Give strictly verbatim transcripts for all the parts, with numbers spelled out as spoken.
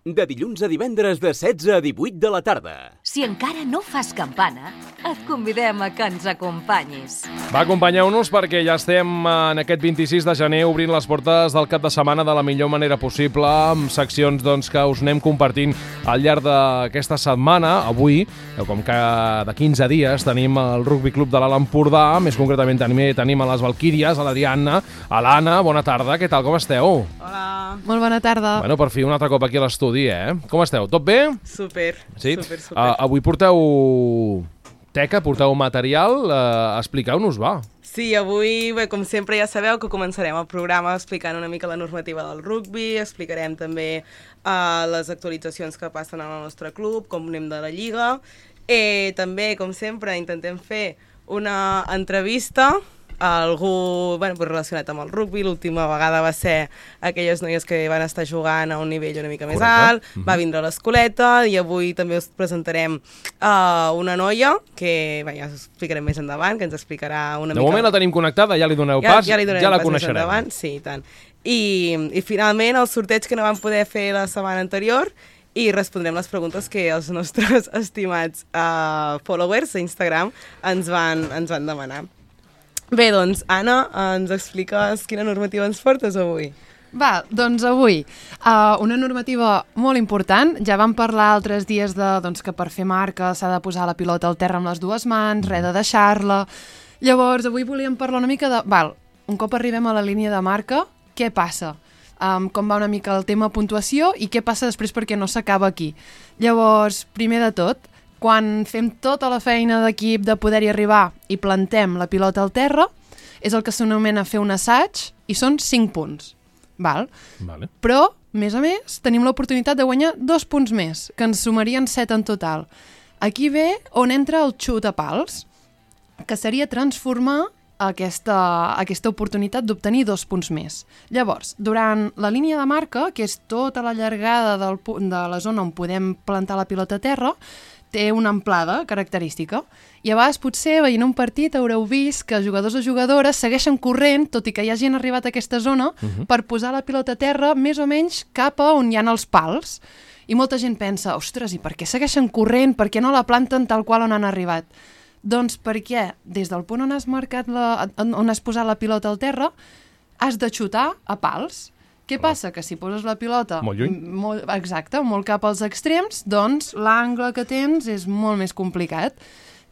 De dilluns a divendres de setze a divuit de la tarda. Si encara no fas campana, et convidem a que ens acompanyis. Va, acompanyeu-nos perquè ja estem en aquest vint-i-sis de gener obrint les portes del cap de setmana de la millor manera possible, amb seccions doncs, que us anem compartint al llarg d'aquesta setmana. Avui, com que de quinze dies, tenim el Rugby Club de l'Alt Empordà, més concretament també tenim a les Valquíries, a l'Adriana, a l'Anna. Bona tarda, què tal, com esteu? Hola. Molt bona tarda. Bueno, per fi un altre cop aquí a l'estudi, eh? Com esteu? Tot bé? Super, sí? super, super. Uh, avui porteu teca, porteu material, uh, expliqueu-nos, va. Sí, avui, bé, com sempre ja sabeu que començarem el programa explicant una mica la normativa del rugby, explicarem també uh, les actualitzacions que passen al nostre club, com anem de la lliga, i també, com sempre, intentem fer una entrevista a algú bueno, relacionat amb el rugby. L'última vegada va ser aquelles noies que van estar jugant a un nivell una mica més Correcte. alt, mm-hmm. va vindre l'Escoleta i avui també us presentarem uh, una noia que bé, ja us explicarem més endavant, que ens explicarà una de mica... De moment la tenim connectada, ja li doneu ja, pas, ja, li ja la pas coneixerem. Endavant, sí, i tant. I, I finalment el sorteig que no vam poder fer la setmana anterior i respondrem les preguntes que els nostres estimats uh, followers a Instagram ens van, ens van demanar. Bé, doncs, Anna, ens expliques quina normativa ens portes avui? Va, doncs avui, uh, una normativa molt important. Ja vam parlar altres dies de, doncs, que per fer marca s'ha de posar la pilota al terra amb les dues mans, res de deixar-la. Llavors, avui volíem parlar una mica de... Val, un cop arribem a la línia de marca, què passa? Um, com va una mica el tema puntuació i què passa després perquè no s'acaba aquí. Llavors, primer de tot, quan fem tota la feina d'equip de poder-hi arribar i plantem la pilota al terra, és el que s'anomena fer un assaig i són cinc punts. Val? Vale. Però, més a més, tenim l'oportunitat de guanyar dos punts més, que ens sumarien set en total. Aquí ve on entra el xut a pals, que seria transformar aquesta, aquesta oportunitat d'obtenir dos punts més. Llavors, durant la línia de marca, que és tota la llargada del, de la zona on podem plantar la pilota a terra, té una amplada característica. I a vegades potser veient un partit haureu vist que jugadors o jugadores segueixen corrent, tot i que ja hagin arribat a aquesta zona, uh-huh. per posar la pilota a terra més o menys cap a on hi ha els pals. I molta gent pensa, ostres, i per què segueixen corrent? Per què no la planten tal qual on han arribat? Doncs perquè des del punt on has marcat la, on has posat la pilota al terra, has de xutar a pals. Què passa? Que si poses la pilota... Molt lluny. Molt, exacte, molt cap als extrems, doncs l'angle que tens és molt més complicat.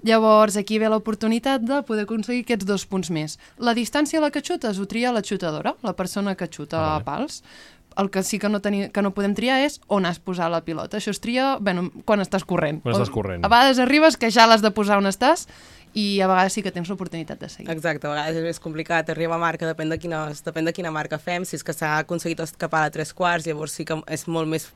Llavors, aquí ve l'oportunitat de poder aconseguir aquests dos punts més. La distància a la que xutes ho tria la xutadora, la persona que xuta ah, a pals. El que sí que no, teni, que no podem triar és on has posat la pilota. Això es tria bueno, quan estàs corrent. Quan estàs corrent. A vegades arribes que ja l'has de posar on estàs i a vegades sí que tens l'oportunitat de seguir. Exacte, a vegades és més complicat, arriba a marca, depèn de quina, depèn de quina marca fem, si és que s'ha aconseguit escapar a tres quarts, llavors sí que és molt més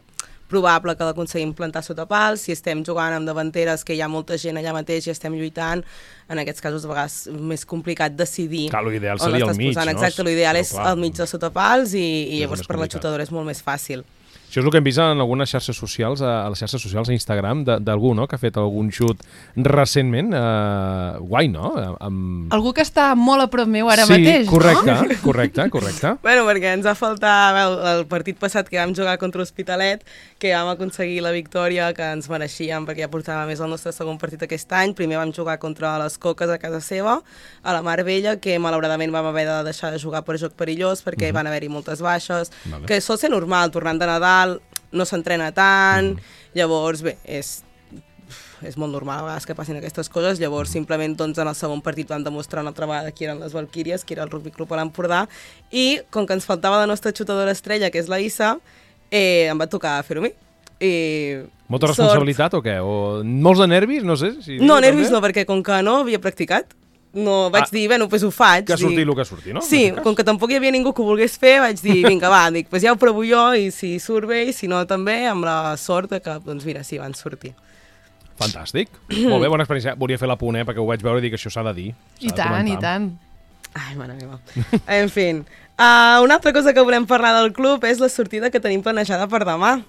probable que l'aconseguim plantar sota pals. Si estem jugant amb davanteres que hi ha molta gent allà mateix i estem lluitant, en aquests casos a vegades és més complicat decidir clar, l'ideal seria al mig, posant. no? Exacte, l'ideal però, és clar, al mig de sota pals i, i llavors per la complicat. xutadora és molt més fàcil. Això és el que hem vist en algunes xarxes socials, a les xarxes socials a Instagram, d'algú, no?, que ha fet algun xut recentment. Uh, guai, no? Amb... Algú que està molt a prop meu ara sí, mateix, correcte, no? correcte, correcte. Bueno, perquè ens va faltar el, el partit passat que vam jugar contra l'Hospitalet, que vam aconseguir la victòria que ens mereixíem, perquè ja portava més el nostre segon partit aquest any. Primer vam jugar contra les Coques a casa seva, a la Mar Vella, que malauradament vam haver de deixar de jugar per joc perillós, perquè uh-huh. van haver-hi moltes baixes, vale. Que sol ser normal, tornant de Nadal, no s'entrena tant, mm. llavors, bé, és, és molt normal a vegades que passin aquestes coses, llavors simplement doncs, en el segon partit vam demostrar una altra vegada qui eren les Valquíries, qui era el Rugby Club a l'Empordà, i com que ens faltava la nostra xutadora estrella, que és la Issa, eh, em va tocar fer-ho a mi. I molta responsabilitat sort. O què? O molts de nervis? No sé. Si no, nervis no, perquè com que no havia practicat, no, vaig ah, dir, bueno, doncs ho faig. Que surti dic, el que surti, no? Sí, com que tampoc hi havia ningú que ho volgués fer, vaig dir, vinga, va, dic, pues ja ho provo jo i si surt bé i si no també, amb la sort que, doncs mira, sí, van sortir. Fantàstic. Molt bé, bona experiència. Volia fer la punt, eh, perquè ho vaig veure i dic que això s'ha de dir. I tant, i tant. Ai, mare meva. En fi, uh, una altra cosa que volem parlar del club és la sortida que tenim planejada per demà.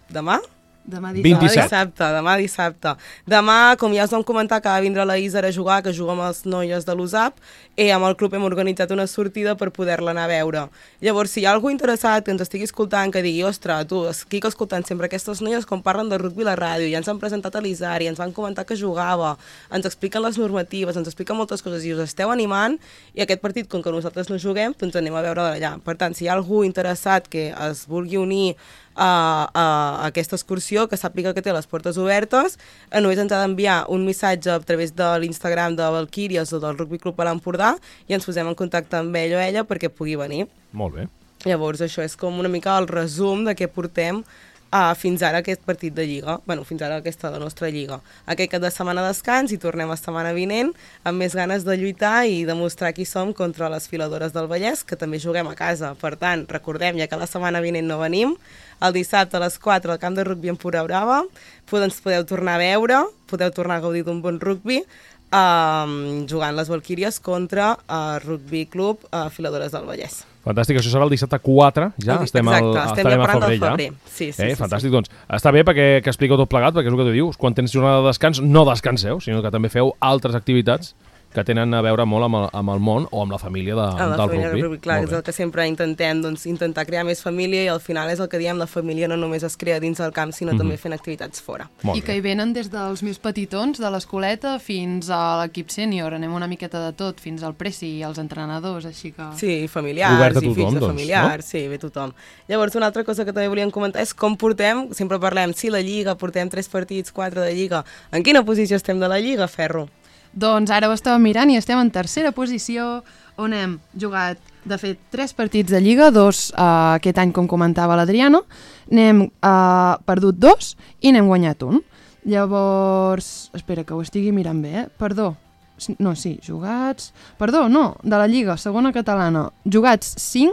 Demà? Demà vint-i-set. dissabte, demà dissabte. Demà, com ja us vam comentar, que va vindre la Isar a jugar, que juga amb els noies de l'U S A P, i amb el club hem organitzat una sortida per poder-la anar a veure. Llavors, si hi ha algú interessat que ens estigui escoltant, que digui, ostres, tu, estic escoltant sempre aquestes noies com parlen de rugby a la ràdio, ja ens han presentat a l'Isar i ens van comentar que jugava, ens expliquen les normatives, ens expliquen moltes coses i us esteu animant, i aquest partit, com que nosaltres no juguem, doncs anem a veure d'allà. Per tant, si hi ha algú interessat que es vulgui unir A, a aquesta excursió, que sàpiga que té les portes obertes, només ens ha d'enviar un missatge a través de l'Instagram de Valquíries o del Rugby Club a l'Empordà i ens posem en contacte amb ell o ella perquè pugui venir. Molt bé. Llavors això és com una mica el resum de què portem uh, fins ara aquest partit de Lliga, bueno, fins ara aquesta de la nostra Lliga. Aquest cap de setmana descans i tornem la setmana vinent amb més ganes de lluitar i demostrar qui som contra les filadores del Vallès, que també juguem a casa. Per tant, recordem, ja que la setmana vinent no venim, el dissabte a les quatre al camp de rugby Empordà Brava, ens podeu tornar a veure, podeu tornar a gaudir d'un bon rugby, um, jugant les Valquíries contra el Rugby Club uh, Filadores del Vallès. Fantàstic, això serà el dissabte quatre, ja Exacte, estem, al, estem estarem ja a febrer, febrer. ja. Sí, sí, eh, sí, fantàstic, sí. doncs està bé perquè que expliqueu tot plegat, perquè és el que tu dius, quan tens jornada de descans no descanseu, sinó que també feu altres activitats que tenen a veure molt amb el, amb el món o amb la família de, amb la del família rugby. del rugby. Clar, és el que sempre intentem, doncs, intentar crear més família i al final és el que diem, la família no només es crea dins del camp, sinó mm-hmm. també fent activitats fora. Molt I que bé. hi venen des dels més petitons, de l'escoleta, fins a l'equip sènior. Anem una miqueta de tot, fins al presi i als entrenadors, així que... Sí, familiars Obert a i tothom, fills de doncs, familiars, no? sí, ve tothom. Llavors, una altra cosa que també volíem comentar és com portem, sempre parlem, sí, la Lliga, portem tres partits, quatre de Lliga. En quina posició estem de la Lliga, Ferro? Doncs ara ho estàvem mirant i estem en tercera posició, on hem jugat, de fet, tres partits de Lliga, dos uh, aquest any, com comentava l'Adriano, n'hem uh, perdut dos i n'hem guanyat un. Llavors, espera, que ho estigui mirant bé, eh? Perdó, no, sí, jugats... Perdó, no, de la Lliga, segona catalana, jugats cinc,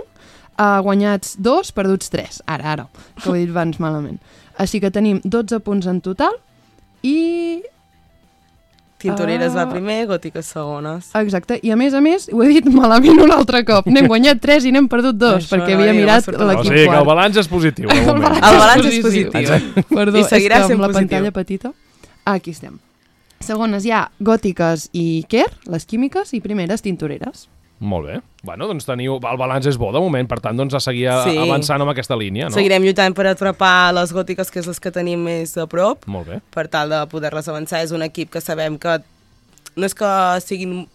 uh, guanyats dos, perduts tres. Ara, ara, que ho he dit abans malament. Així que tenim dotze punts en total i... Tintoreres Uh, va primer, Gòtiques segones. Exacte, i a més a més, ho he dit malament un altre cop, n'hem guanyat tres i n'hem perdut dos, Això perquè no, havia no mirat m'ha sortit. O l'equip sigui que el quart. balanç és positiu, de moment. El balanç és positiu. Perdó, I seguirà és que sent amb la positiu. pantalla petita. Aquí estem. Segones hi ha Gòtiques i Quer, les químiques, i primeres Tintoreres. Molt bé. Bueno, doncs teniu... El balanç és bo de moment, per tant, doncs a seguir Sí. avançant amb aquesta línia, no? Seguirem lluitant per atrapar les Gòtiques, que és les que tenim més a prop, Molt bé. per tal de poder-les avançar. És un equip que sabem que no és que siguin...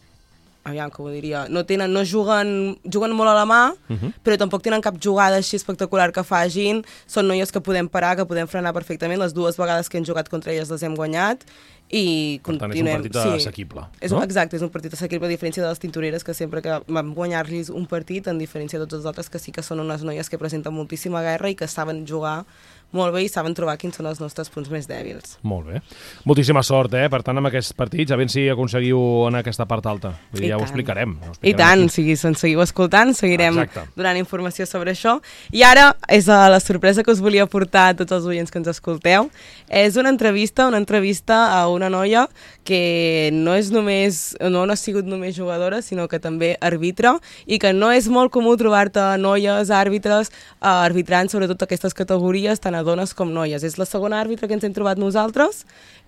Aviam, que ho diria... No, tenen, no juguen, juguen molt a la mà, uh-huh. però tampoc tenen cap jugada així espectacular que fagin. Són noies que podem parar, que podem frenar perfectament. Les dues vegades que hem jugat contra elles les hem guanyat. I Per tant, continuem... és un partit assequible. És, no? Exacte, és un partit assequible, a diferència de les Tintoreres, que sempre que vam guanyar-los un partit, en diferència de tots els altres, que sí que són unes noies que presenten moltíssima guerra i que saben jugar molt bé i saben trobar quins són els nostres punts més dèbils. Molt bé. Moltíssima sort, eh? Per tant, amb aquests partits, a veure si aconseguiu anar a aquesta part alta. Vull dir, ja ho explicarem. Ho explicarem I tant, aquí. si ens seguiu escoltant, seguirem Exacte. donant informació sobre això. I ara és uh, la sorpresa que us volia portar a tots els oients que ens escolteu. És una entrevista, una entrevista a una noia que no és només, no ha sigut només jugadora, sinó que també arbitra, i que no és molt comú trobar-te noies àrbitres uh, arbitrant sobretot aquestes categories, tant a dones com noies. És la segona àrbitra que ens hem trobat nosaltres.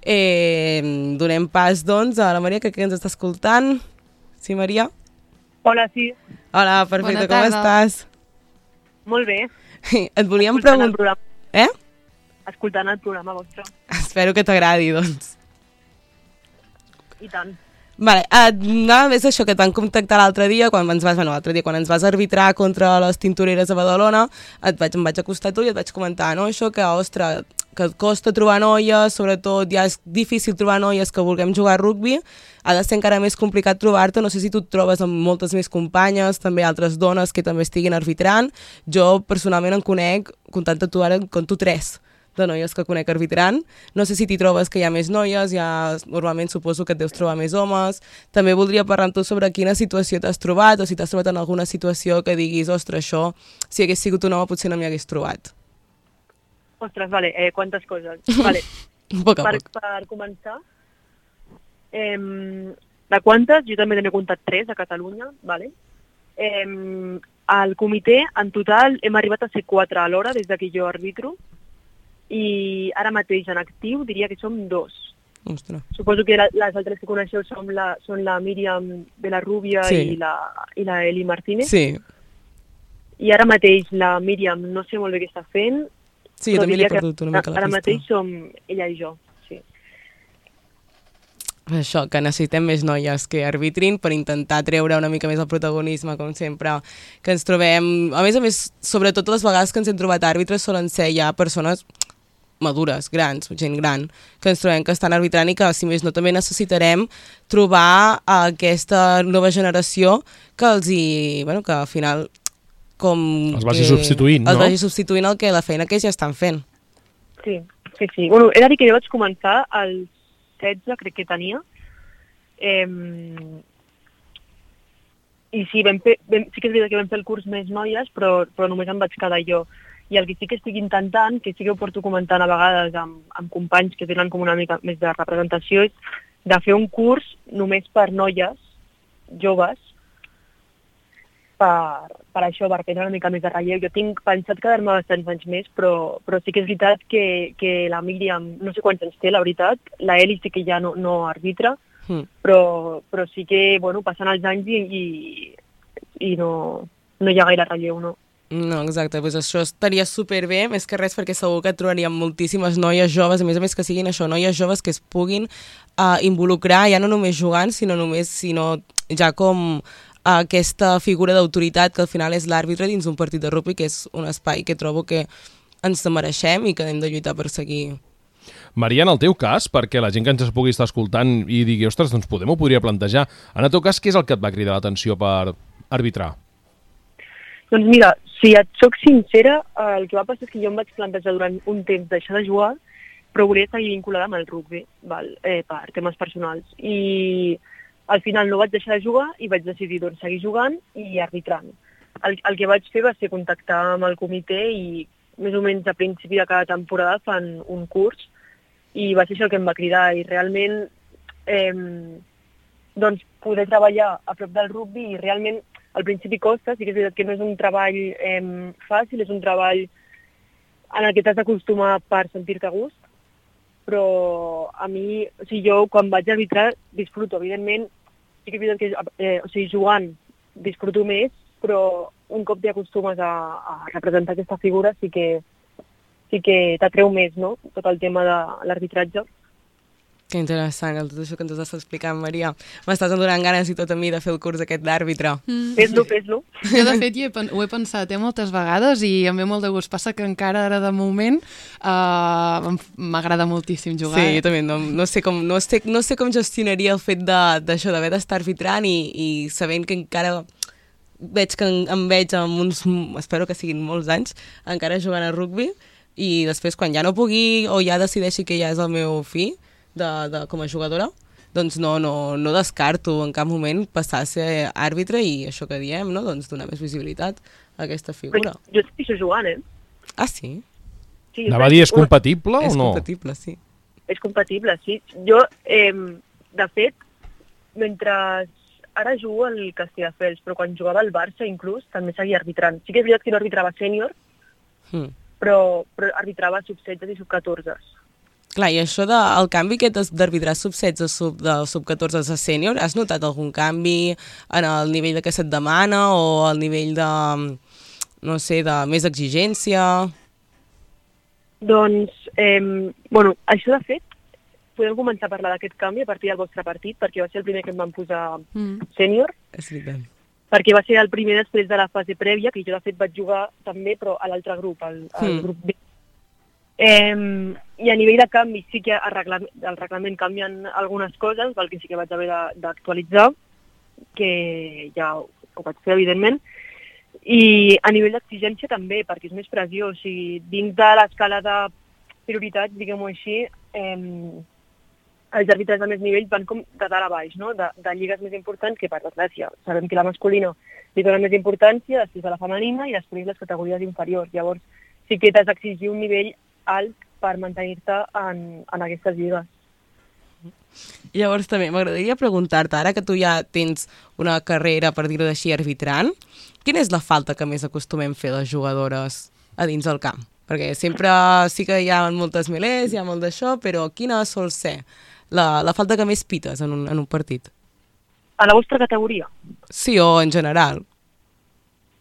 Eh, donem pas, doncs, a la Maria, que, que ens està escoltant. Sí, Maria? Hola, sí. Hola, perfecte, Bona com tarda. estàs? Molt bé. Et volíem Escoltant el preguntar... programa. Eh? Escoltant el programa vostre. Espero que t'agradi, doncs. I tant. Vale, anava més això que et van contactar l'altre dia, quan ens vas, bueno, l'altre dia, quan ens vas arbitrar contra les Tintoreres a Badalona, et vaig, em vaig acostar a tu i et vaig comentar, no?, això que, ostres, que et costa trobar noies, sobretot ja és difícil trobar noies que vulguem jugar a rugby, ha de ser encara més complicat trobar-te, no sé si tu et trobes amb moltes més companyes, també altres dones que també estiguin arbitrant. Jo personalment en conec, comptant tu ara, en conto tres de noies que conec arbitrant. No sé si t'hi trobes que hi ha més noies, ja normalment suposo que et deus trobar més homes. També voldria parlar amb tu sobre quina situació t'has trobat, o si t'has trobat en alguna situació que diguis, ostres, això, si hagués sigut un home potser no m'hi hagués trobat. Ostres, vale, eh, quantes coses. Vale. Poc a Per, poc. per començar, eh, de quantes? Jo també n'he comptat tres a Catalunya, vale? Eh, al comitè, en total, hem arribat a ser quatre alhora des de que jo arbitro. i ara mateix en actiu diria que som dos. Ostres. Suposo que la, les altres que coneixeu són la, són la Míriam de la Rúbia Sí. i, la, i la Eli Martínez. Sí, I ara mateix la Míriam no sé molt bé què està fent, sí, jo però també li he diria que perdut una mica la ara pista. mateix som ella i jo. Sí. Això, que necessitem més noies que arbitrin per intentar treure una mica més el protagonisme, com sempre, que ens trobem... A més a més, sobretot les vegades que ens hem trobat àrbitres solen ser ja persones madures, grans, gent gran, que ens trobem que estan arbitrant i que, si més no, també necessitarem trobar aquesta nova generació que els hi... Bueno, que al final... com Els vagi que substituint, no? Els vagi substituint el que la feina que ja estan fent. Sí, sí, sí. Bueno, he de dir que jo vaig començar als setze, crec que tenia. Eh, I sí, vam fer, vam, sí que és veritat que vam fer el curs més noies, però, però només em vaig quedar jo. I el que sí que estic intentant, que sí que ho porto comentant a vegades amb, amb companys que tenen com una mica més de representació, és de fer un curs només per noies joves, per, per això, per prendre una mica més de relleu. Jo tinc pensat quedar-me bastants anys més, però, però sí que és veritat que, que la Míriam, no sé quants anys té, la veritat, la Eli sí que ja no, no arbitra, Mm. però, però sí que, bueno, passen els anys i, i, i no, no hi ha gaire relleu, no. No, exacte, doncs això estaria superbé, més que res perquè segur que trobaríem moltíssimes noies joves, a més a més que siguin això, noies joves que es puguin uh, involucrar, ja no només jugant, sinó només, sinó ja com aquesta figura d'autoritat que al final és l'àrbitre dins un partit de rugby, que és un espai que trobo que ens mereixem i que hem de lluitar per seguir. Maria, en el teu cas, perquè la gent que ens pugui estar escoltant i digui, ostres, doncs Podem ho podria plantejar. En el teu cas, què és el que et va cridar l'atenció per arbitrar? Doncs mira, si et soc sincera, el que va passar és que jo em vaig plantejar durant un temps deixar de jugar, però volia seguir vinculada amb el rugby, val? Eh, per temes personals. I al final no vaig deixar de jugar i vaig decidir doncs, seguir jugant i arbitrant. El, el que vaig fer va ser contactar amb el comitè i més o menys a principi de cada temporada fan un curs i va ser això el que em va cridar i realment eh, doncs poder treballar a prop del rugby i realment al principi costa, sí que és veritat que no és un treball eh, fàcil, és un treball en el que t'has d'acostumar per sentir-te a gust, però a mi, o sigui, jo quan vaig arbitrar disfruto, evidentment, sí que és veritat que eh, o sigui, jugant disfruto més, però un cop t'acostumes a, a representar aquesta figura sí que sí que t'atreu més, no?, tot el tema de l'arbitratge. Que interessant, tot això que ens estàs explicant, Maria. M'estàs donant ganes i tot a mi de fer el curs aquest d'àrbitre. Mm. Fes-lo, fes-lo. Jo, de fet, hi he, ho he pensat eh, moltes vegades i em ve molt de gust. Passa que encara ara de moment uh, m'agrada moltíssim jugar. Sí, jo també no, no, sé com, no, sé, no sé com gestionaria el fet d'això, d'haver d'estar arbitrant i, i sabent que encara veig que em, em veig amb uns, espero que siguin molts anys, encara jugant a rugby i després quan ja no pugui o ja decideixi que ja és el meu fi de, de, com a jugadora, doncs no, no, no descarto en cap moment passar a ser àrbitre i això que diem, no? Doncs donar més visibilitat a aquesta figura. Però jo estic jugant, eh? Ah, sí? Sí, Anava a dir, és compatible És o no? compatible, sí. És compatible, sí. Jo, eh, de fet, mentre ara jugo al Castelldefels, però quan jugava al Barça inclús també seguia arbitrant. Sí que és veritat que no arbitrava sènior, Mm. però, però arbitrava sub setze i sub catorze. Clar, i això de, el canvi aquest d'arbitrar sub setze sub, de sub catorze a sènior, has notat algun canvi en el nivell de què se't demana o el nivell de, no sé, de més exigència? Doncs, eh, bueno, això de fet, podem començar a parlar d'aquest canvi a partir del vostre partit, perquè va ser el primer que em van posar Mm. sènior, És veritat. perquè va ser el primer després de la fase prèvia, que jo de fet vaig jugar també, però a l'altre grup, al, al Mm. grup B. Eh, I a nivell de canvi sí que el reglament, el reglament canvien algunes coses, val que sí que vaig haver de- d'actualitzar, que ja ho, ho vaig fer, evidentment, i a nivell d'exigència també, perquè és més pressió, o sigui, dins de l'escala de prioritats, diguem-ho així, eh, els àrbitres de més nivell van com de dalt a baix, no? de, de lligues més importants, que per desgràcia sabem que la masculina li dona més importància, després de la femenina i després les categories inferiors. Llavors sí que t'has d'exigir un nivell alt per mantenir-te en, en aquestes lligues. Llavors també m'agradaria preguntar-te, ara que tu ja tens una carrera, per dir-ho així, arbitrant, quina és la falta que més acostumem fer les jugadores a dins del camp? Perquè sempre sí que hi ha moltes milers, hi ha molt d'això, però quina sol ser la, la falta que més pites en un, en un partit? A la vostra categoria? Sí, o en general?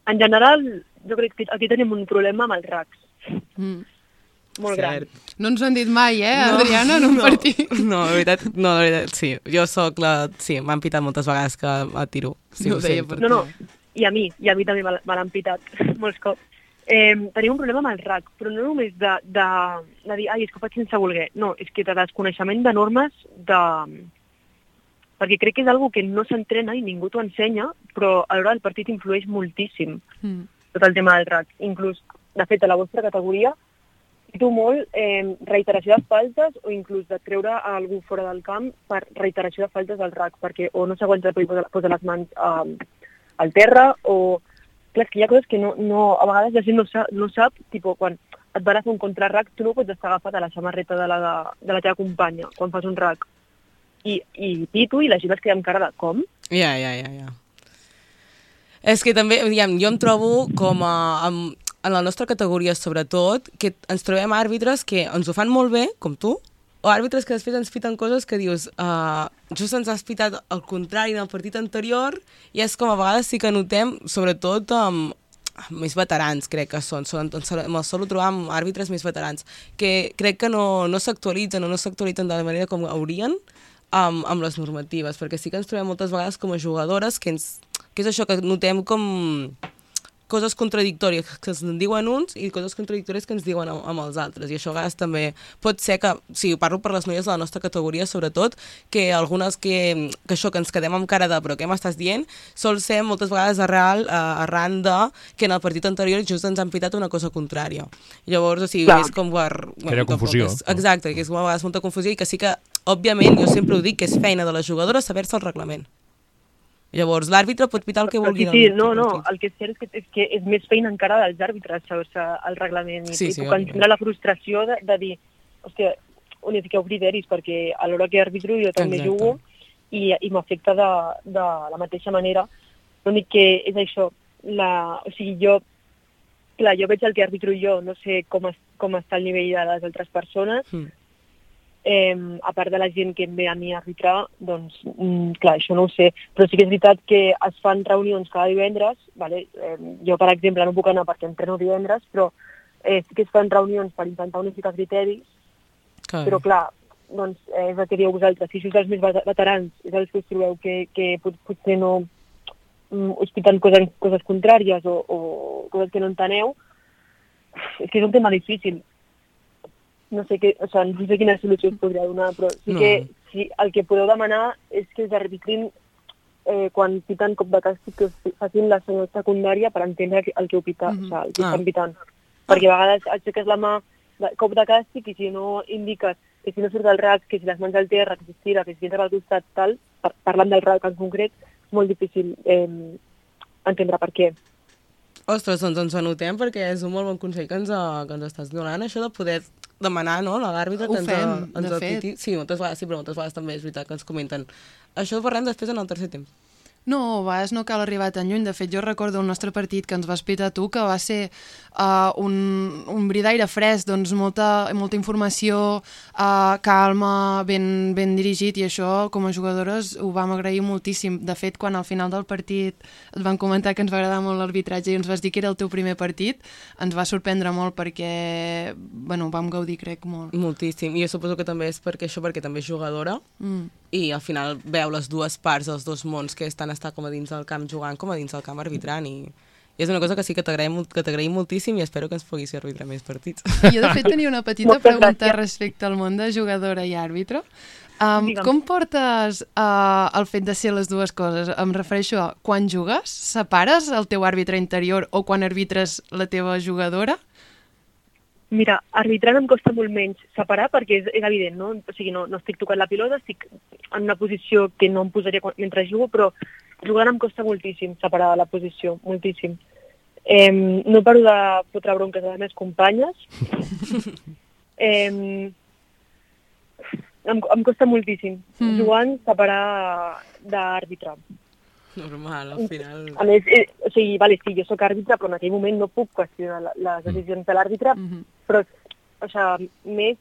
En general, jo crec que aquí tenim un problema amb els racks. Mm. Molt Cert. gran. No ens ho han dit mai, eh, Adriana, en un no, partit. No, la veritat, no, la veritat, sí. Jo sóc la... Sí, m'han pitat moltes vegades que a tiro. Sí, No ho ho deia sento. per No, no, i a mi, i a mi també me l- me l'han pitat molts cops. Eh, tenim un problema amb el rack, però no només de, de, de dir, ai, és que ho faig sense voler. No, és que de desconeixement de normes, de... perquè crec que és algo que no s'entrena i ningú t'ho ensenya, però a l'hora del partit influeix moltíssim Mm. tot el tema del rack. Inclús, de fet, a la vostra categoria, tu molt eh, reiteració de faltes o inclús de treure a algú fora del camp per reiteració de faltes del rack, perquè o no s'aguanta per posar, posar les mans eh, al terra o... Clar, és que hi ha coses que no, no, a vegades la gent no sap, no sap tipus, quan et van a fer un contrarrack, tu no pots estar agafat a la samarreta de la, de, de la teva companya quan fas un rack. I, i pito, i la gent es queda amb cara de com? Ja, ja, ja, ja. És que també, diguem, jo em trobo com a... Amb, en la nostra categoria, sobretot, que ens trobem àrbitres que ens ho fan molt bé, com tu, o àrbitres que després ens piten coses que dius uh, just ens has pitat el contrari en el partit anterior, i és com a vegades sí que notem, sobretot amb, amb més veterans, crec que són, són me'l solo trobar amb àrbitres més veterans, que crec que no, no s'actualitzen o no s'actualitzen de la manera com haurien amb, amb les normatives, perquè sí que ens trobem moltes vegades com a jugadores que, ens, que és això que notem com coses contradictòries que ens diuen uns i coses contradictòries que ens diuen amb, amb els altres. I això a vegades també pot ser que, sí, parlo per les noies de la nostra categoria, sobretot, que algunes que, que això, que ens quedem amb cara de però què m'estàs dient, sol ser moltes vegades arrel, uh, arran de que en el partit anterior just ens han pitat una cosa contrària. Llavors, o sigui, Clar. és com per... Crea confusió. És, exacte, que és com a vegades molta confusió i que sí que, òbviament, jo sempre ho dic, que és feina de la jugadora saber-se el reglament. Llavors, l'àrbitre pot pitar el que vulgui. Sí, sí, no, no, el que és cert és que, és que és més feina encara dels àrbitres saber-se el reglament i, Sí, i sí, puc entendre la frustració de, de dir, hòstia, unifiqueu criteris, perquè a l'hora que arbitro jo també Exacte. jugo i, i m'afecta de, de la mateixa manera. L'únic que és això, la, o sigui, jo, clar, jo veig el que arbitro jo, no sé com, es, com està el nivell de les altres persones, Mm. Eh, a part de la gent que em ve a mi a arbitrar, doncs, mm, clar, això no ho sé, però sí que és veritat que es fan reunions cada divendres, vale? eh, jo, per exemple, no puc anar perquè entreno divendres, però eh, sí que es fan reunions per intentar unificar criteris, Clar. però clar, doncs, eh, és el que dieu vosaltres, si sou els més vet- veterans, és els que us trobeu que, que pot, potser no mm, us piten coses, coses contràries o, o coses que no enteneu, és que és un tema difícil. No sé, que, o sigui, no sé quina solució us podria donar, però sí No. que sí, el que podeu demanar és que us arbitrin eh, quan piten cop de càstig, que us facin la senyal secundària per entendre el que heu pitat, Mhm. o sigui, el que Ah. estan pitant. Perquè a vegades aixeques la mà de cop de càstig i si no indiques que si no surt del rack, que si les mans al terra, que si es tira, que si entra al costat, tal, par parlant del rack en concret, és molt difícil eh, entendre per què. Ostres, doncs ens anotem perquè és un molt bon consell que ens, uh, que ens estàs donant, això de poder demanar, no?, a l'àrbitre Ho que ens, fem, uh, ens de apiti. Sí, moltes vegades sí, però moltes vegades també és veritat que ens comenten. Això ho parlem després en el tercer temps. No, a vegades no cal arribar tan lluny. De fet, jo recordo el nostre partit que ens vas pitar tu, que va ser uh, un, un bri d'aire fresc, doncs molta, molta informació, uh, calma, ben, ben dirigit, i això, com a jugadores, ho vam agrair moltíssim. De fet, quan al final del partit et van comentar que ens va agradar molt l'arbitratge i ens vas dir que era el teu primer partit, ens va sorprendre molt perquè, bueno, vam gaudir, crec, molt. Moltíssim. I jo suposo que també és perquè això, perquè també és jugadora, Mm. i al final veu les dues parts, els dos mons, que estan estar com a dins del camp jugant, com a dins del camp arbitrant, i, i és una cosa que sí que t'agraïm que t'agraïm moltíssim i espero que ens puguis fer arbitrar més partits. Jo, de fet, tenia una petita Moltes pregunta gràcies. respecte al món de jugadora i àrbitre. Um, Digue'm. com portes uh, el fet de ser les dues coses? Em refereixo a quan jugues, separes el teu àrbitre interior o quan arbitres la teva jugadora? Mira, arbitrant em costa molt menys separar perquè és, és evident, no? O sigui, no, no estic tocant la pilota, estic en una posició que no em posaria quan, mentre jugo, però jugant em costa moltíssim separar la posició, moltíssim. Eh, no paro de fotre bronques a les meves companyes. eh, em, em costa moltíssim Mm. jugant separar d'àrbitre. Normal, al final... A més, eh, o sigui, vale, sí, jo sóc àrbitre, però en aquell moment no puc qüestionar la- les decisions de l'àrbitre, Mhm. però, o sigui, més,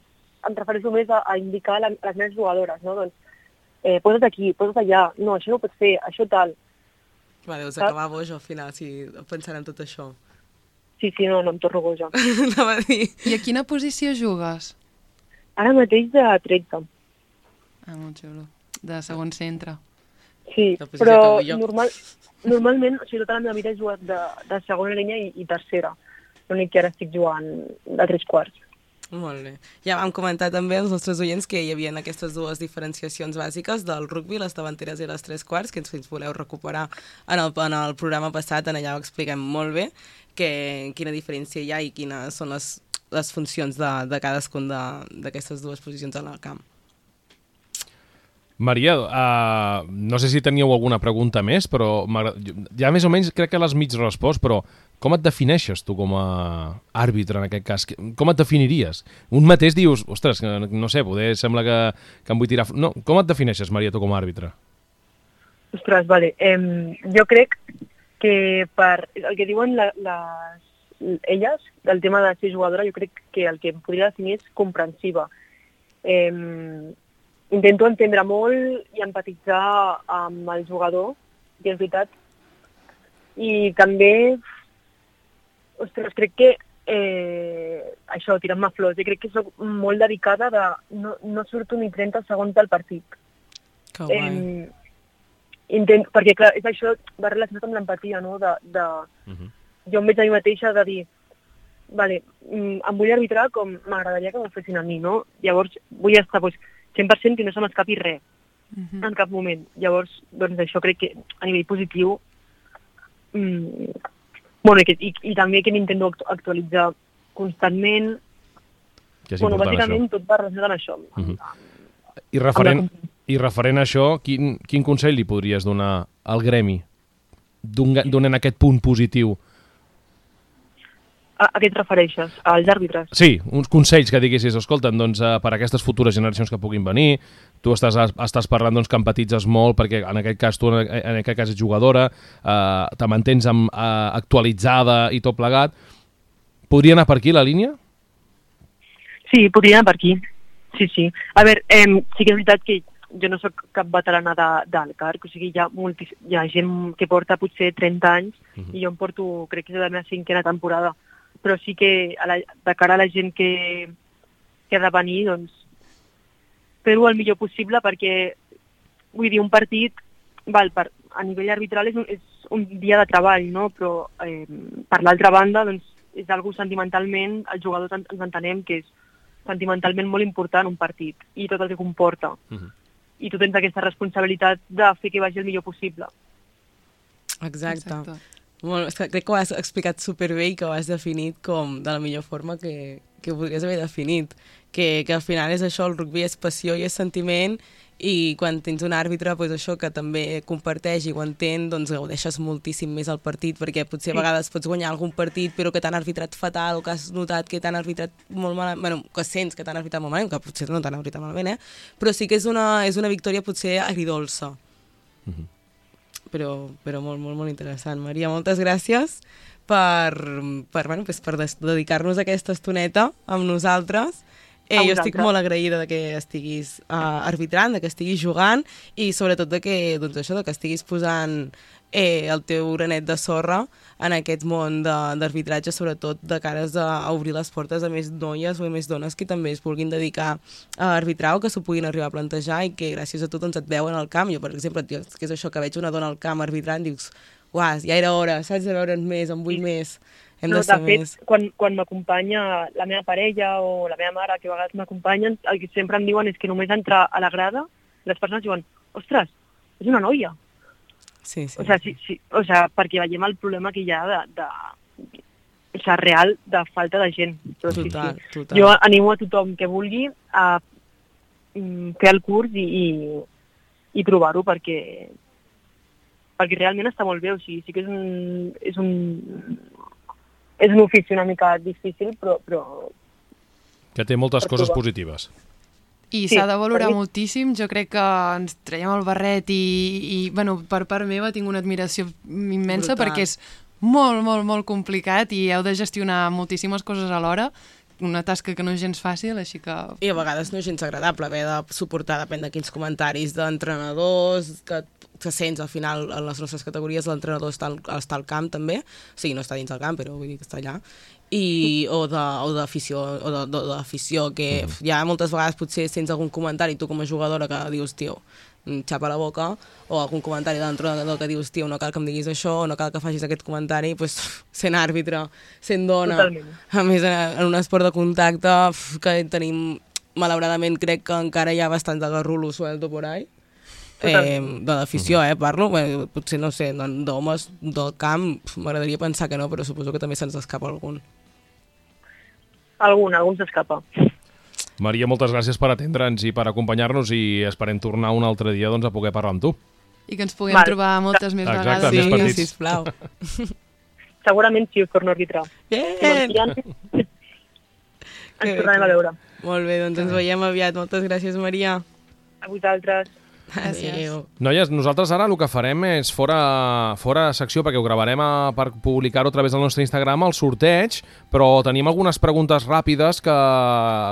em refereixo més a, a indicar la, les meves jugadores, no? Doncs, eh, posa't aquí, posa't allà, no, això no ho pots fer, això tal. Va, deus Saps? acabar boix al final, si pensant en tot això. Sí, sí, no, no em torno boja. Anava a dir... I a quina posició jugues? Ara mateix de tretze. Ah, molt xulo. De segon centre. Sí, La posició però que vull jo. normal, normalment, o sigui, tota la meva vida he jugat de, de segona línia i, i tercera. L'únic que ara estic jugant de tres quarts. Molt bé. Ja vam comentar també als nostres oients que hi havia aquestes dues diferenciacions bàsiques del rugbi, les davanteres i les tres quarts, que ens, ens voleu recuperar en el, en el programa passat, en allà ho expliquem molt bé, que, quina diferència hi ha i quines són les, les funcions de, de cadascun d'aquestes dues posicions en el camp. Maria, uh, no sé si teníeu alguna pregunta més, però ja més o menys crec que l'has mig respost, però com et defineixes tu com a àrbitre en aquest cas? Com et definiries? Un mateix dius, ostres, no sé, poder sembla que, que em vull tirar... No, com et defineixes, Maria, tu com a àrbitre? Ostres, vale. Eh, jo crec que per el que diuen la, les, elles, del tema de ser jugadora, jo crec que el que em podria definir és comprensiva. Eh, intento entendre molt i empatitzar amb el jugador, que és veritat. I també, ostres, crec que eh, això, tirant-me flors, jo crec que soc molt dedicada de... No, no surto ni trenta segons del partit. Que guai. Eh, intent, perquè, clar, és això, va relacionat amb l'empatia, no? De, de, Uh-huh. jo em veig a mi mateixa de dir, vale, em vull arbitrar com m'agradaria que m'ho fessin a mi, no? Llavors, vull estar doncs, cent per cent que no se m'escapi res, Mhm. en cap moment. Llavors, doncs això crec que a nivell positiu, mm, bueno, i, que, i, i també que m'intento actu actualitzar constantment, Que és bueno, important, bàsicament això. tot va relacionat amb això. Amb, Mhm. amb, I referent, amb la- I referent a això, quin, quin consell li podries donar al gremi d'un en aquest punt positiu? a, a què et refereixes? Als àrbitres? Sí, uns consells que diguessis, escolta, doncs, eh, per a aquestes futures generacions que puguin venir, tu estàs, estàs parlant doncs, que empatitzes molt, perquè en aquest cas tu en, en aquest cas ets jugadora, eh, te mantens amb, eh, actualitzada i tot plegat. Podria anar per aquí la línia? Sí, podria anar per aquí. Sí, sí. A veure, eh, sí que és veritat que jo no sóc cap veterana de, del CARC, o sigui, hi ha, multis, hi ha gent que porta potser trenta anys Uh-huh. i jo em porto, crec que és la meva cinquena temporada, però sí que a la, de cara a la gent que, que ha de venir, doncs, fer-ho el millor possible perquè, vull dir, un partit, val, per, a nivell arbitral és un, és un dia de treball, no? Però eh, per l'altra banda, doncs, és algo sentimentalment, els jugadors ens entenem que és sentimentalment molt important un partit i tot el que comporta. Uh-huh. I tu tens aquesta responsabilitat de fer que vagi el millor possible. Exacte. Exacte. Molt, és que crec que ho has explicat superbé i que ho has definit com de la millor forma que, que podries haver definit. Que, que al final és això, el rugby és passió i és sentiment, i quan tens un àrbitre, doncs això, que també comparteix i ho entén, doncs gaudeixes moltíssim més el partit, perquè potser a vegades pots guanyar algun partit però que t'han arbitrat fatal, o que has notat que t'han arbitrat molt malament, bueno, que sents que t'han arbitrat molt malament, que potser no t'han arbitrat malament, eh? Però sí que és una, és una victòria potser agridolça. Uh-huh. Però, però molt, molt, molt interessant. Maria, moltes gràcies per, per, bueno, pues per des- dedicar-nos aquesta estoneta amb nosaltres. Eh, A jo estic vosaltres. molt agraïda de que estiguis uh, arbitrant, de que estiguis jugant i sobretot de que, doncs això, de que estiguis posant eh, el teu granet de sorra en aquest món de- d'arbitratge, sobretot de cares a, a obrir les portes a més noies o a més dones que també es vulguin dedicar a arbitrar o que s'ho puguin arribar a plantejar i que gràcies a tu doncs, et veuen al camp. Jo, per exemple, tio, que és això, que veig una dona al camp arbitrant, dius, uah, ja era hora, saps, de veure'n més, en vull més, hem No, de ser de fet, més. quan, quan m'acompanya la meva parella o la meva mare, que a vegades m'acompanyen, el que sempre em diuen és que només entrar a la grada, les persones diuen, ostres, és una noia. Sí, sí. O sea, sí, sí, o sea, perquè veiem el problema que hi ha de, de, o sea, real de falta de gent. Però sí, Total, sí. total. Jo animo a tothom que vulgui a mm, fer el curs i, i, i provar-ho perquè, perquè realment està molt bé. O sigui, sí que és un, és un, és un ofici una mica difícil, però, però Que té moltes Per coses provar. positives. I Sí, s'ha de valorar per mi- moltíssim. Jo crec que ens traiem el barret i, i bueno, per part meva tinc una admiració immensa Brutal. perquè és molt, molt, molt complicat i heu de gestionar moltíssimes coses alhora. Una tasca que no és gens fàcil, així que... I a vegades no és gens agradable haver de suportar, depèn de quins comentaris d'entrenadors, que, que sents al final en les nostres categories l'entrenador està, al- està al camp també, o sigui, no està dins del camp, però vull dir que està allà, i, o de- o d'afició, o de, de, d'afició, que mm. ja moltes vegades potser sents algun comentari tu com a jugadora que dius, tio, xapa la boca, o algun comentari de l'entrenador que dius, tio, no cal que em diguis això, o no cal que facis aquest comentari, pues, sent àrbitre, sent dona, Totalment. a més en un esport de contacte uf, que tenim, malauradament crec que encara hi ha bastant de garrulo suelto por ahí, eh, de l'afició, eh, parlo, bé, potser no sé, d'homes del camp, pf, m'agradaria pensar que no, però suposo que també se'ns escapa algun. Algun, algun s'escapa. Maria, moltes gràcies per atendre'ns i per acompanyar-nos i esperem tornar un altre dia doncs, a poder parlar amb tu. I que ens puguem Val. trobar moltes més Exacte, vegades. més Sí, partits. sisplau. Segurament sí, us torno a arbitrar. Bien! Ens tornarem a veure. Molt bé, doncs ens veiem aviat. Moltes gràcies, Maria. A vosaltres. Gràcies. Adéu. Noies, nosaltres ara el que farem és fora, fora secció, perquè ho gravarem a, per publicar-ho a través del nostre Instagram, el sorteig, però tenim algunes preguntes ràpides que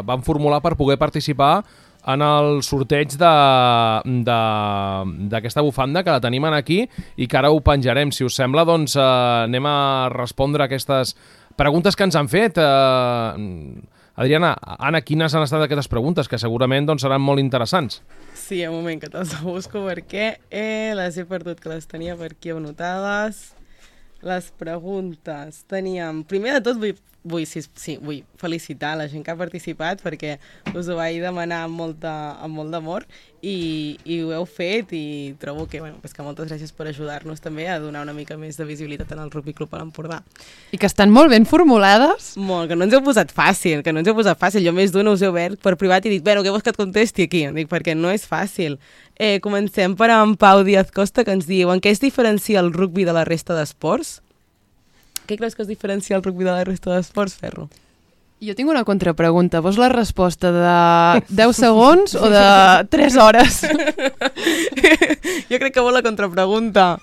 vam formular per poder participar en el sorteig de- de- d'aquesta bufanda, que la tenim aquí i que ara ho penjarem. Si us sembla, doncs eh, anem a respondre a aquestes preguntes que ens han fet. Eh, Adriana, Anna, quines han estat aquestes preguntes? Que segurament doncs, seran molt interessants. Sí, un moment que te'ls busco perquè eh, les he perdut, que les tenia per aquí anotades. Les preguntes. Teníem... Primer de tot vull, vull, sí, sí, vull felicitar la gent que ha participat perquè us ho vaig demanar amb, molta, amb molt d'amor i, i ho heu fet i trobo que, bueno, pues que moltes gràcies per ajudar-nos també a donar una mica més de visibilitat en el Rugby Club a l'Empordà. I que estan molt ben formulades. Molt, que no ens heu posat fàcil, que no ens heu posat fàcil. Jo més d'una us he obert per privat i dic, bueno, què vols que et contesti aquí? Dic, perquè no és fàcil. Eh, comencem per en Pau Díaz Costa, que ens diu, en què es diferencia el rugby de la resta d'esports? Què creus que es diferencia el rugby de la resta d'esports, Ferro? Jo tinc una contrapregunta. Vols la resposta de deu segons o de tres hores? Jo crec que vol la contrapregunta.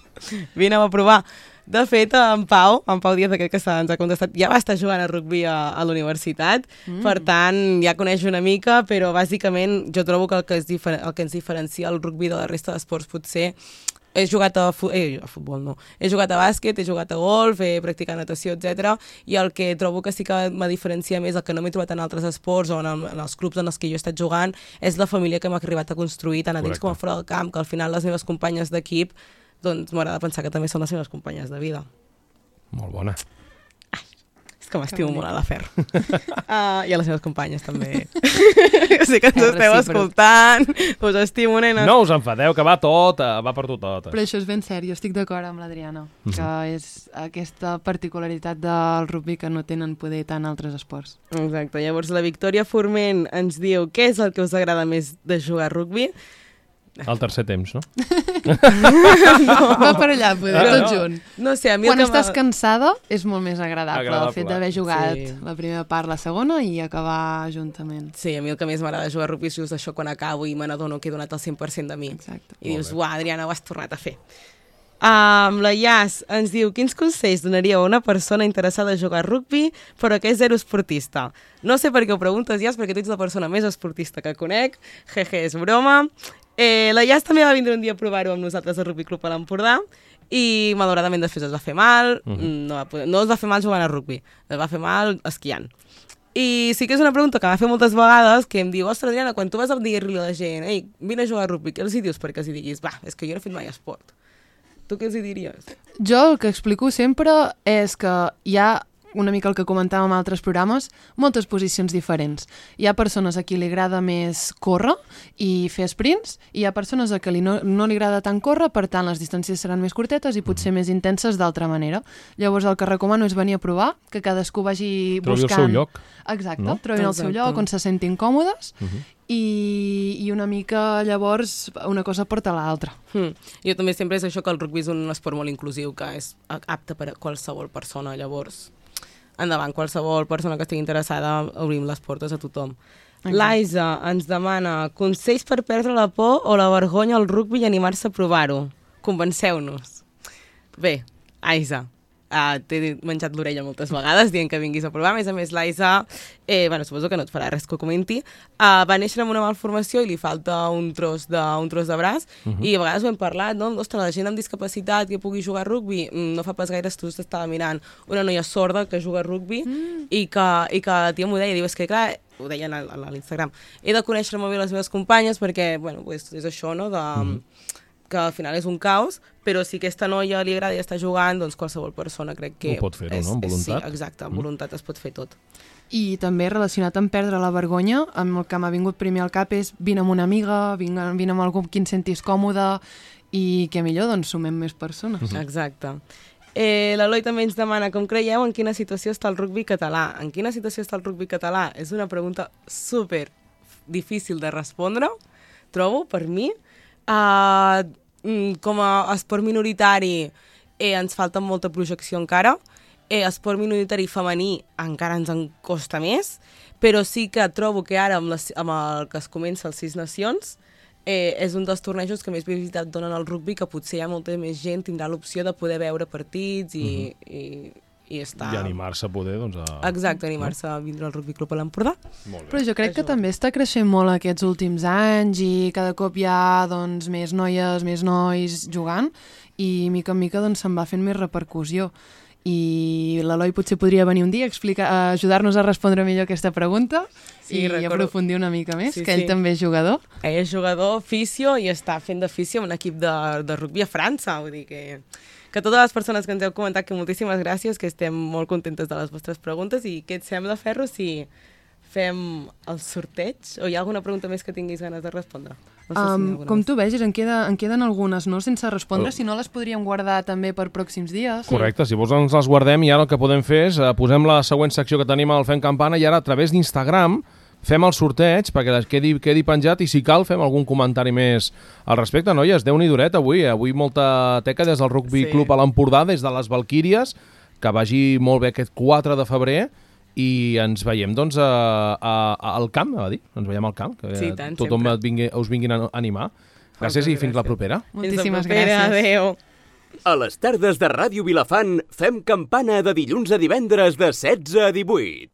Vine a provar. De fet, en Pau, en Pau Díaz, aquest que ens ha contestat, ja va estar jugant a rugby a, a la universitat, mm. per tant, ja coneix una mica, però bàsicament jo trobo que el que, és difer el que ens diferencia el rugby de la resta d'esports potser he jugat a, fu eh, a futbol, no. He jugat a bàsquet, he jugat a golf, he practicat natació, etcètera. I el que trobo que sí que me diferencia més, el que no m'he trobat en altres esports o en, el, en els clubs en els que jo he estat jugant, és la família que m'ha arribat a construir, tant a dins Correcte. com a fora del camp, que al final les meves companyes d'equip, doncs m'agrada pensar que també són les meves companyes de vida. Molt bona. És que m'estimo molt a la Fer. Uh, I a les meves companyes, també. sé que ens És esteu recíproc. escoltant. Us estimo, nenes. No us enfadeu, que va tot, eh, va per tu tot. Però això és ben cert, jo estic d'acord amb l'Adriana, que és aquesta particularitat del rugby que no tenen poder tant altres esports. Exacte. Llavors, la Victòria Forment ens diu què és el que us agrada més de jugar a rugby? El tercer temps, no? Va per allà, poder, Ah, tot no. junt. No sé, a mi Quan el que estàs m'ha- cansada és molt més agradable, Agradable. el fet d'haver jugat Sí. la primera part, la segona i acabar juntament. Sí, a mi el que més m'agrada jugar a rugby és just això quan acabo i me n'adono que he donat el cent per cent de mi. Exacte. I dius, uah, Adriana, ho has tornat a fer. Um, la Yas ens diu, quins consells donaríeu a una persona interessada a jugar a rugby però que és zero esportista? No sé per què ho preguntes, Yas, perquè tu ets la persona més esportista que conec. Jeje, és broma. Eh, la Yas també va vindre un dia a provar-ho amb nosaltres al Rugby Club a l'Empordà i malauradament després es va fer mal, uh -huh. no, va poder, no es va fer mal jugant a rugby, es va fer mal esquiant. I sí que és una pregunta que m'ha fet moltes vegades, que em diu, ostres, Adriana, quan tu vas a dir-li a la gent, ei, vine a jugar a rugby, què els hi dius perquè els hi diguis, va, és que jo no he fet mai esport. Tu què els hi diries? Jo el que explico sempre és que hi ha, una mica el que comentàvem en altres programes, moltes posicions diferents. Hi ha persones a qui li agrada més córrer i fer sprints, i hi ha persones a qui li no, no li agrada tant córrer, per tant les distàncies seran més curtetes i potser més intenses d'altra manera. Llavors el que recomano és venir a provar, que cadascú vagi Trobi el buscant... seu lloc. Exacte, no? trobin el seu Exacte. lloc on se sentin còmodes Uh -huh. i, i una mica llavors una cosa porta a l'altra. Hmm. Jo també sempre és això, que el rugby és un esport molt inclusiu, que és apte per a qualsevol persona, llavors endavant, qualsevol persona que estigui interessada, obrim les portes a tothom. L'Aisa ens demana consells per perdre la por o la vergonya al rugbi i animar-se a provar-ho. Convenceu-nos. Bé, Aisa, uh, t'he menjat l'orella moltes vegades dient que vinguis a provar. A més a més, l'Aisa, eh, bueno, suposo que no et farà res que ho comenti, uh, va néixer amb una malformació i li falta un tros de, un tros de braç, uh -huh. i a vegades ho hem parlat, no? Ostres, la gent amb discapacitat que pugui jugar a rugbi, no fa pas gaire estudis estava mirant una noia sorda que juga a rugbi mm. i, que, i que la tia m'ho deia, diu, és que clar, ho deien a, a l'Instagram, he de conèixer molt bé les meves companyes perquè, bueno, pues, és això, no?, de... Mm. que al final és un caos, però si aquesta noia li agrada i està jugant, doncs qualsevol persona crec que... Ho pot fer-ho, no?, amb voluntat. Sí, exacte, amb voluntat es pot fer tot. I també relacionat amb perdre la vergonya, amb el que m'ha vingut primer al cap és vine amb una amiga, vine, vine amb algú amb qui et sentis còmode i que millor doncs sumem més persones. Uh-huh. Exacte. Eh, L'Eloi també ens demana com creieu en quina situació està el rugbi català. En quina situació està el rugbi català? És una pregunta super difícil de respondre, trobo, per mi. Uh, com a esport minoritari eh, ens falta molta projecció encara. Eh, esport minoritari femení encara ens en costa més, però sí que trobo que ara amb, les, amb el que es comença els Sis Nacions eh, és un dels tornejos que més visibilitat donen al rugbi, que potser hi ha molta més gent tindrà l'opció de poder veure partits i, uh-huh. i, i estar... I animar-se a poder, doncs... A... Exacte, animar-se a vindre al Rugby Club a l'Empordà. Però jo crec que també està creixent molt aquests últims anys i cada cop hi ha doncs, més noies, més nois jugant i mica en mica doncs, se'n va fent més repercussió. I l'Eloi potser podria venir un dia a explicar, a ajudar-nos a respondre millor aquesta pregunta sí, i recordo. aprofundir una mica més, sí, que ell sí. també és jugador. Ell és jugador, fisio, i està fent de fisio en un equip de, de rugby a França. Vull dir que, que totes les persones que ens heu comentat, que moltíssimes gràcies, que estem molt contentes de les vostres preguntes, i què et sembla, Ferro, si fem el sorteig? O hi ha alguna pregunta més que tinguis ganes de respondre? No sé um, si com més. tu vegis, en, queda, en queden algunes no sense respondre, oh. si no les podríem guardar també per pròxims dies. Correcte, si vols ens les guardem i ara el que podem fer és eh, posem la següent secció que tenim al Fem Campana i ara a través d'Instagram fem el sorteig perquè quedi, quedi penjat i si cal fem algun comentari més al respecte. Noies, Déu-n'hi duret avui, avui molta teca des del Rugby sí. Club a l'Empordà, des de les Valquíries, que vagi molt bé aquest quatre de febrer i ens veiem doncs a, a, a, al camp, va dir? Ens veiem al camp, que sí, tant, tothom et vingui, us vinguin a animar. Gràcies i fins gràcies. La propera. Moltíssimes fins la propera, gràcies. Adéu. A les tardes de Ràdio Vilafant fem campana de dilluns a divendres de setze a divuit.